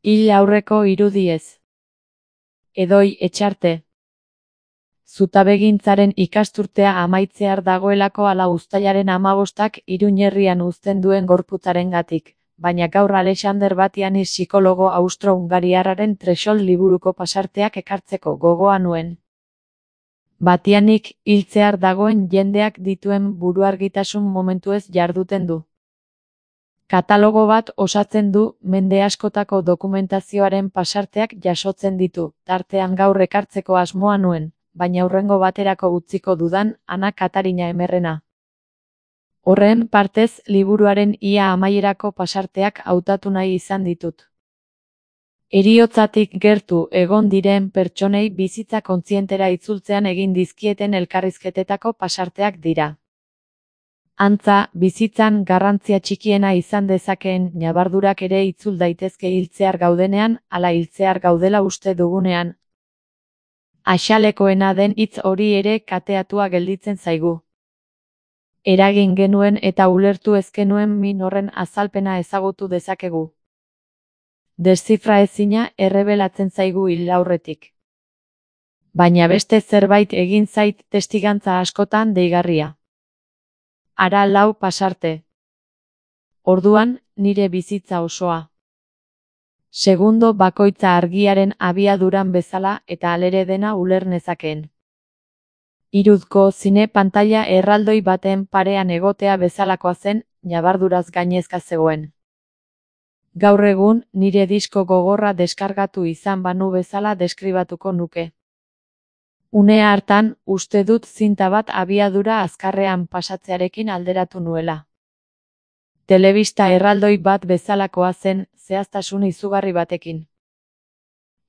Hil aurreko irudiez. Edoi Etxarte. Zutabegintzaren ikasturtea amaitzear dagoelako ala uztailaren 15ak Iruñerrian uzten duen gorputzarengatik, baina gaur Alexander Batianis psikologo austro-hungariarraren Threshold liburuko pasarteak ekartzeko gogoa nuen. Batianik hiltzear dagoen jendeak dituen buruargitasun momentuez jarduten du. Katalogo bat osatzen du, mende askotako dokumentazioaren pasarteak jasotzen ditu, tartean gaur ekartzeko asmoa nuen, baina hurrengo baterako utziko dudan, Ana Katarina Emerrena. Horren partez, liburuaren ia amaierako pasarteak hautatu nahi izan ditut. Heriotzatik gertu egon diren pertsonei bizitza kontzientera itzultzean egin dizkieten elkarrizketetako pasarteak dira. Antza, bizitzan garrantzia txikiena izan dezakeen ñabardurak ere itzul daitezke hiltzear gaudenean, ala hiltzear gaudela uste dugunean. Axalekoena den hitz hori ere kateatua gelditzen zaigu. Eragin genuen eta ulertu ezkenuen min horren azalpena ezagutu dezakegu. Deszifraezina errebelatzen zaigu hil aurretik. Baina beste zerbait egin zait testigantza askotan deigarria. Ara 4 pasarte. Orduan, nire bizitza osoa. Segundo bakoitza argiaren abiaduran bezala eta alere dena uler nezakeen. Irudko zine pantaila erraldoi baten parean egotea bezalakoa zen, ñabarduraz gainezka zegoen. Gaur egun, nire disko gogorra deskargatu izan banu bezala deskribatuko nuke. Une hartan, uste dut zinta bat abiadura azkarrean pasatzearekin alderatu nuela. Telebista erraldoi bat bezalakoa zen, zehaztasun izugarri batekin.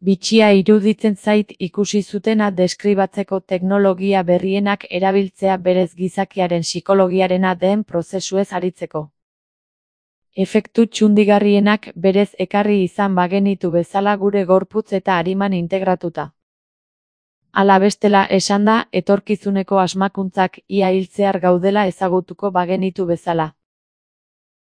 Bitxia iruditzen zait ikusi zutena deskribatzeko teknologia berrienak erabiltzea berez gizakiaren psikologiarena den prozesuez aritzeko. Efektu txundigarrienak berez ekarri izan bagenitu bezala gure gorputz eta ariman integratuta. Ala bestela esanda, etorkizuneko asmakuntzak ia hiltzear gaudela ezagutuko bagenitu bezala.